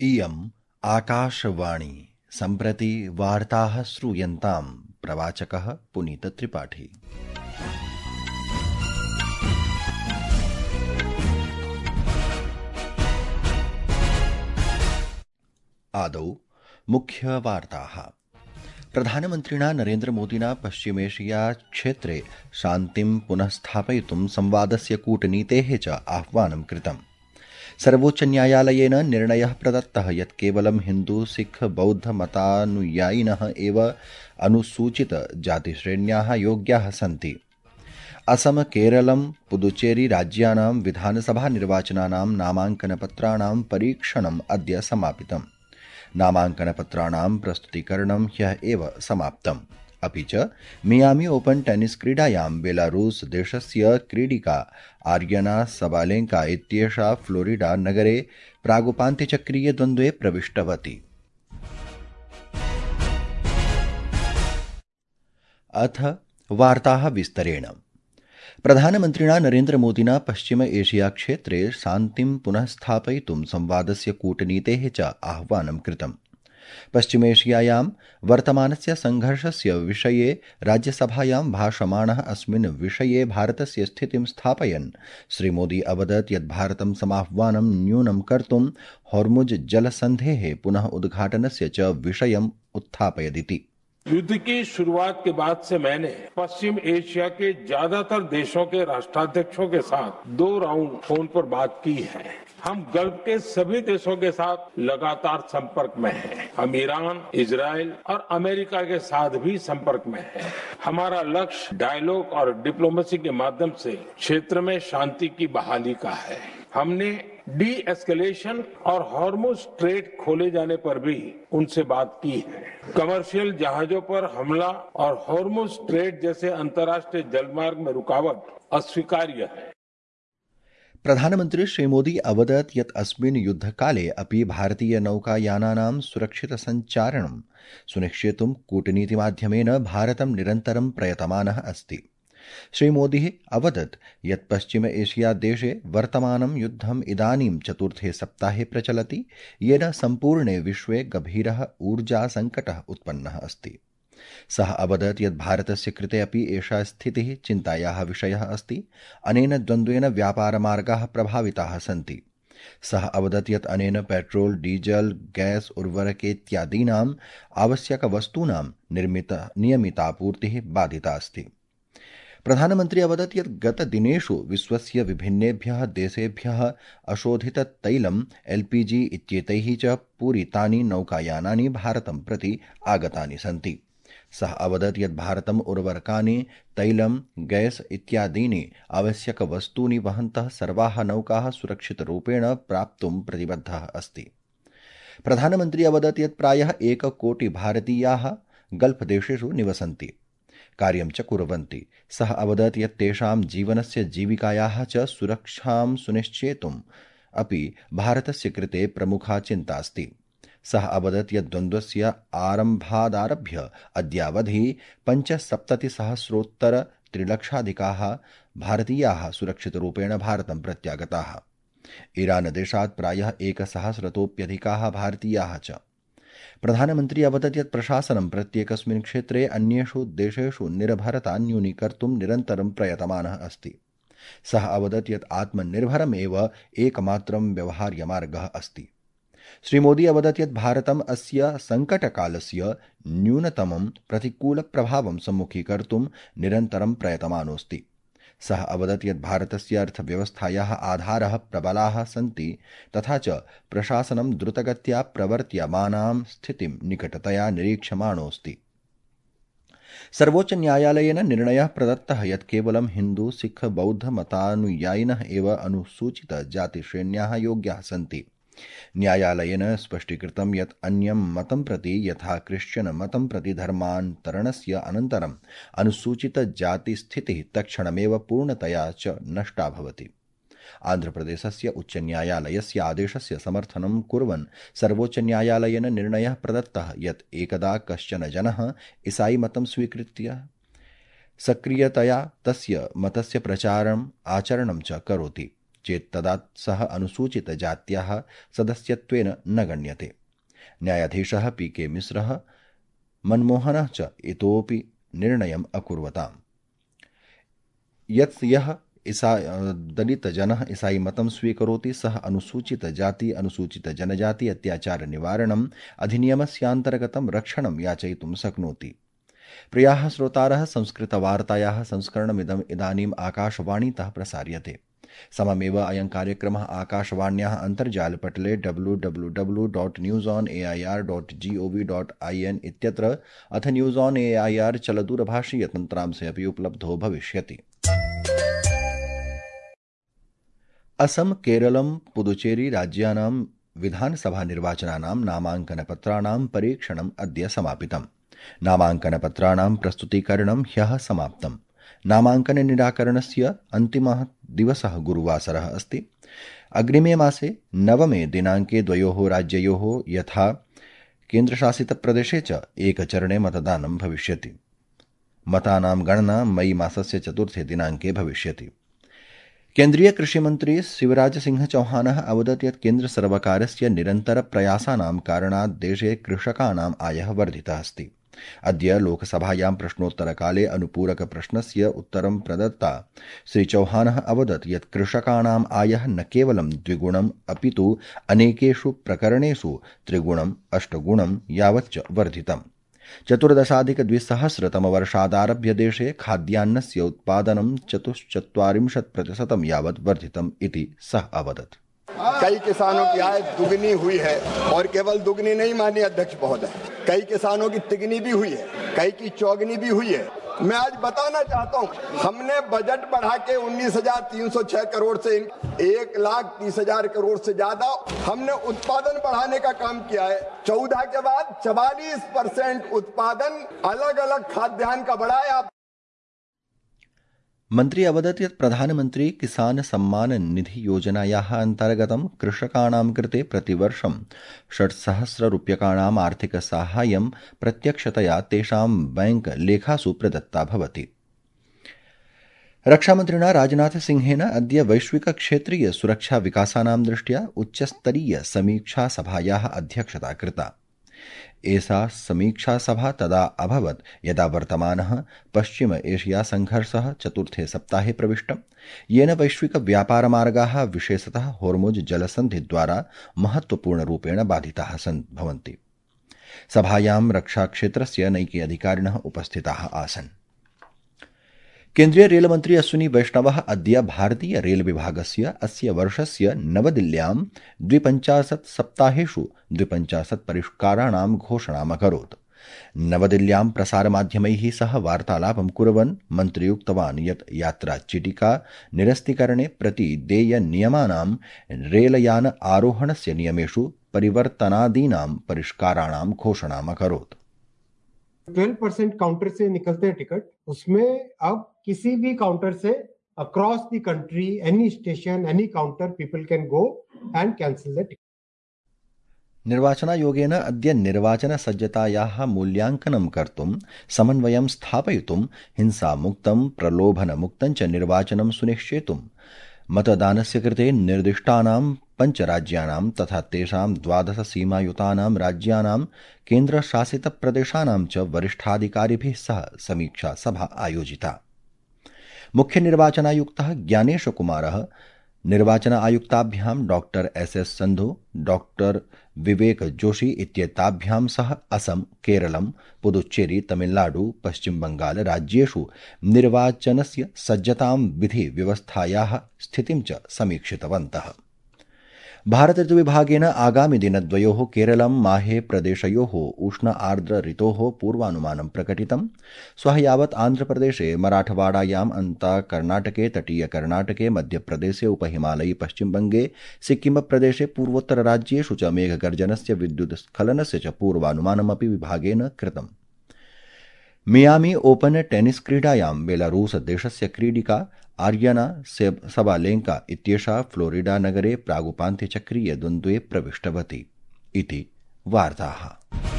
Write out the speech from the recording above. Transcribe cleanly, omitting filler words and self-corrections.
इयम् आकाशवाणी सम्प्रति वार्ताः श्रूयन्ताम्। प्रवाचकः पुनीतत्रिपाठी। आदौ मुख्यवार्ताः। प्रधानमन्त्रिणा नरेन्द्रमोदिना पश्चिमेशिया क्षेत्रे शान्तिं पुनः स्थापयितुं संवादस्य कूटनीतेः च आह्वानं कृतम्। सर्वोच्चन्यायालयेन निर्णयः प्रदत्तः यत् केवलं हिन्दू सिख बौद्ध मतानुयायिनः एव अनुसूचितजातिश्रेण्याः योग्याः सन्ति। असम केरलं पुदुचेरी राज्यानां विधानसभानिर्वाचनानां नामाङ्कनपत्राणां परीक्षणम् अद्य समापितम्। नामाङ्कनपत्राणां प्रस्तुतीकरणं ह्यः एव समाप्तम्। अपि च मियामी ओपन टेनिस क्रीडायां बेलारूस देशस्य क्रीडिका आर्यना सबालेंका इत्येषा फ्लोरिडा नगरे प्रागुपान्त्यचक्रीय द्वन्द्वे प्रविष्टवती। अथ वार्ताः विस्तरेण। प्रधानमन्त्रिणा नरेन्द्रमोदिना पश्चिम एशिया क्षेत्रे शान्तिं पुनः स्थापयितुं संवादस्य कूटनीतेः च आह्वानं कृतम्। पश्चिमेशियायां वर्तमानस्य संघर्षस्य विषये राज्यसभायां भाषमाणः अस्मिन् विषये भारतस्य स्थितिं स्थापयन् श्रीमोदी अवदत् यत् भारतं समाह्वानं न्यूनं कर्तुं होर्मुज जलसन्धेः पुनः उद्घाटनस्य च विषयम् उत्थापयदिति। युद्ध की शुरुआत के बाद से मैंने पश्चिम एशिया के ज्यादातर देशों के राष्ट्राध्यक्षों के साथ 2 राउंड फोन पर बात की है। हम गल्फ के सभी देशों के साथ लगातार संपर्क में हैं। हम ईरान, इजराइल और अमेरिका के साथ भी संपर्क में हैं। हमारा लक्ष्य डायलॉग और डिप्लोमेसी के माध्यम से क्षेत्र में शांति की बहाली का है। हमने डी एस्केलेशन और हॉर्मुज स्ट्रेट खोले जाने पर भी उनसे बात की है। कमर्शियल जहाजों पर हमला और हॉर्मुज स्ट्रेट जैसे अंतर्राष्ट्रीय जलमार्ग में रुकावट अस्वीकार्य है। प्रधानमन्त्री श्रीमोदी अवदत् यत् अस्मिन् युद्धकाले अपि भारतीयनौकायानानां सुरक्षितसञ्चारणं सुनिश्चेतुं कूटनीतिमाध्यमेन भारतं निरन्तरं प्रयतमानः अस्ति। श्रीमोदी अवदत् यत् पश्चिम एशिया देशे वर्तमानं युद्धम् इदानीं 4थे सप्ताहे प्रचलति, येन सम्पूर्णे विश्वे गभीरः ऊर्जासङ्कटः उत्पन्नः अस्ति। सः अवदत् यत् भारतस्य कृते अपि एषा स्थितिः चिन्तायाः विषयः अस्ति। अनेन द्वन्द्वेन व्यापारमार्गाः प्रभाविताः सन्ति। सः अवदत् यत् अनेन पेट्रोल, डीजल, गैस, उर्वरकेत्यादीनाम् आवश्यकवस्तूनां नियमितापूर्तिः बाधिता अस्ति। प्रधानमन्त्री अवदत् यत् गतदिनेषु विश्वस्य विभिन्नेभ्यः देशेभ्यः अशोधिततैलम् LPG इत्येतैः च पूरितानि नौकायानानि भारतं प्रति आगतानि सन्ति। सः अवदत् यत् भारतम् उर्वरकानि, तैलं, गैस इत्यादीनि आवश्यकवस्तूनि वहन्तः सर्वाः नौकाः सुरक्षितरूपेण प्राप्तुं प्रतिबद्धः अस्ति। प्रधानमन्त्री अवदत् यत् प्रायः 1 कोटि भारतीयाः गल्फदेशेषु निवसन्ति, कार्यं च कुर्वन्ति। सः अवदत् यत् तेषां जीवनस्य जीविकायाः च सुरक्षां सुनिश्चेतुम् अपि भारतस्य कृते प्रमुखा चिन्ता अस्ति। सः अवदत् यत् द्वन्द्वस्य आरम्भादारभ्य अद्यावधि 75,000,000 भारतीयाः सुरक्षितरूपेण भारतं प्रत्यागताः। ईरानदेशात् प्रायः 1,000,000 भारतीयाः च। प्रधानमन्त्री अवदत् यत् प्रशासनं प्रत्येकस्मिन् क्षेत्रे अन्येषु देशेषु निर्भरता न्यूनीकर्तुं निरन्तरं प्रयतमानः अस्ति। सः अवदत् यत् आत्मनिर्भरमेव एकमात्रं व्यवहार्यमार्गः अस्ति। श्रीमोदी अवदत् यत् भारतम् अस्य सङ्कटकालस्य न्यूनतमं प्रतिकूलप्रभावं सम्मुखीकर्तुं निरन्तरं प्रयतमानोऽस्ति। सः अवदत् यत् भारतस्य अर्थव्यवस्थायाः आधारः प्रबलाः सन्ति, तथा च प्रशासनं द्रुतगत्या प्रवर्त्यमानां स्थितिं निकटतया निरीक्षमाणोऽस्ति। सर्वोच्चन्यायालयेन निर्णयः प्रदत्तः यत् केवलं हिन्दू सिख बौद्ध मतानुयायिनः एव अनुसूचितजातिश्रेण्याः योग्याः सन्ति। न्यायालयेन स्पष्टीकृतं यत् अन्यं मतं प्रति यथा क्रिश्चियन मतं प्रति धर्मान्तरणस्य अनन्तरम् अनुसूचितजातिस्थितिः तत्क्षणमेव पूर्णतया च नष्टा भवति। आन्ध्रप्रदेशस्य उच्चन्यायालयस्य आदेशस्य समर्थनं कुर्वन् सर्वोच्चन्यायालयेन निर्णयः प्रदत्तः यत् एकदा कश्चन जनः ईसाईमतं स्वीकृत्य सक्रियतया तस्य मतस्य प्रचारम् आचरणं च करोति चेत् तदा सः अनुसूचितजात्याः सदस्यत्वेन न गण्यते। न्यायाधीशः पी.के. मिश्रः मनमोहनः च इतोपि निर्णयम् अकुर्वताम् यत् यः दलितजनः ईसाई मतं स्वीकरोति सः अनुसूचितजाति अनुसूचितजनजाति अत्याचार निवारणम् अधिनियमस्यान्तर्गतं रक्षणं याचयितुं शक्नोति। प्रियाः श्रोतारः, संस्कृतवार्तायाः संस्करणमिदम् इदानीम् आकाशवाणीतः प्रसार्यते। सममेव अयं कार्यक्रमः आकाशवाण्याः अन्तर्जालपटले www.newsonair.gov.in इत्यत्र अथ न्यूज़ ऑन एआईआर चलदूरभाषीयतन्त्रांशे अपि उपलब्धो भविष्यति। असम, केरलम, पुदुचेरी राज्यानां विधानसभानिर्वाचनानां नामाङ्कनपत्राणां परीक्षणम् अद्य समापितम्। नामाङ्कनपत्राणां प्रस्तुतीकरणं ह्यः समाप्तम्। नामाङ्कननिराकरणस्य अन्तिमः दिवसः गुरुवासरः अस्ति। अग्रिमे मासे 9 दिनाङ्के द्वयोः राज्ययोः यथा केन्द्रशासितप्रदेशे च एकचरणे मतदानं भविष्यति। मतानां गणना मई मासस्य 4 दिनाङ्के भविष्यति। केन्द्रीय कृषिमन्त्री शिवराज सिंह चौहानः अवदत् यत् केन्द्रसर्वकारस्य निरन्तरप्रयासानां कारणात् देशे कृषकाणाम् आयः वर्धितः अस्ति। अद्य लोकसभायां प्रश्नोत्तरकाले अनुपूरकप्रश्नस्य उत्तरं प्रदत्ता श्रीचौहानः अवदत् यत् कृषकाणाम् आयः न केवलं द्विगुणम् अपितु अनेकेषु प्रकरणेषु त्रिगुणम् 8 गुणं यावच्च वर्धितम्। 14,200तमवर्षादारभ्य देशे खाद्यान्नस्य उत्पादनं 44% यावत् वर्धितम् इति सः अवदत्। कई किसानों की आय दुगनी हुई है और केवल दुगनी नहीं माननीय अध्यक्ष महोदय, कई किसानों की तिगनी भी हुई है, कई की चौगनी भी हुई है। मैं आज बताना चाहता हूं, हमने बजट बढ़ा के 19,306 करोड़ से 1,30,000 करोड़ से ज्यादा हमने उत्पादन बढ़ाने का काम किया है। 14 के बाद 44% उत्पादन अलग अलग खाद्यान्न का बढ़ा है। मन्त्री अवदत् यत् प्रधानमन्त्री किसान सम्मान निधि योजनायाः अन्तर्गतं कृषकाणां कृते प्रतिवर्षं 6,000 रूप्यकाणाम् आर्थिकसाहाय्यं प्रत्यक्षतया तेषां बैंक लेखासु प्रदत्ता भवति। रक्षामन्त्रिणा राजनाथ सिंहेन अद्य वैश्विकक्षेत्रीय सुरक्षा विकासानां दृष्ट्या उच्चस्तरीय समीक्षा सभायाः अध्यक्षता कृता। एषा समीक्षा सभा तदा अभवत् यदा वर्तमानः पश्चिम एशिया संघर्षः 4थे सप्ताहे प्रविष्टम्, येन वैश्विक व्यापारमार्गाः विशेषतः होर्मुज जलसन्धिद्वारा महत्वपूर्णरूपेण बाधिताः भवन्ति। सभायां रक्षाक्षेत्रस्य नैके अधिकारिणः उपस्थिताः आसन्। केन्द्रीय रेलमन्त्री अश्विनी वैष्णवः अद्य भारतीय रेल विभागस्य अस्य वर्षस्य नवदिल्ल्यां 52 सप्ताहेषु 52 परिष्काराणां घोषणाम् अकरोत्। नवदिल्ल्यां प्रसारमाध्यमैः सह वार्तालापं कुर्वन् मन्त्री उक्तवान् यत् यात्राचीटिका निरस्तीकरणे प्रति देयनियमानां रेलयान आरोहणस्य नियमेषु परिवर्तनादीनां परिष्काराणां घोषणाम् अकरोत्। 12% काउंटर से निकलते हैं टिकट, उसमें अब किसी भी काउंटर से across the country any station any counter people can go and cancel the ticket. निर्वाचनायोगेन अद्य निर्वाचनसज्जतायाः मूल्याङ्कनं कर्तुं समन्वयं स्थापयितुं हिंसामुक्तं प्रलोभनमुक्तं च निर्वाचनं सुनिश्चेतुं मतदानस्य कृते निर्दिष्टानां 5 राज्यानां तथा तेषां 12 सीमायुतानां राज्यानां केन्द्रशासितप्रदेशानां च वरिष्ठाधिकारिभिः सह समीक्षा सभा आयोजिता। मुख्य निर्वाचनायुक्तः ज्ञानेश कुमारः निर्वाचन आयुक्ताभ्यां doctor SS. Sandhu, doctor Vivek Joshi इत्येताभ्यां सह असम, केरलम, पुदुच्चेरी, तमिलनाडु, पश्चिम बंगाल राज्येषु निर्वाचनस्य सज्जतां विधि व्यवस्थायाः स्थितिं च समीक्षितवन्तः। भारत ऋतुविभागेन आगामि दिनद्वयोः केरलं माहे प्रदेशयोः उष्ण आर्द्र ऋतोः पूर्वानुमानं प्रकटितम्। श्वः यावत् आन्ध्रप्रदेशे, मराठवाडायाम्, अन्ता कर्णाटके, तटीय कर्णाटके, मध्यप्रदेशे, उपहिमालयी पश्चिमबंगे, सिक्किमप्रदेशे, पूर्वोत्तरराज्येषु च मेघगर्जनस्य विद्युत्स्खलनस्य च पूर्वानुमानमपि विभागेन कृतम्। मियामी ओपन टेनिस क्रीडायां बेलारूस देशस्य क्रीडिका आर्यना सबालेंका इत्येषा फ्लोरिडा नगरे प्रागुपान्त्यचक्रीय द्वन्द्वे प्रविष्टवती इति वार्ताः।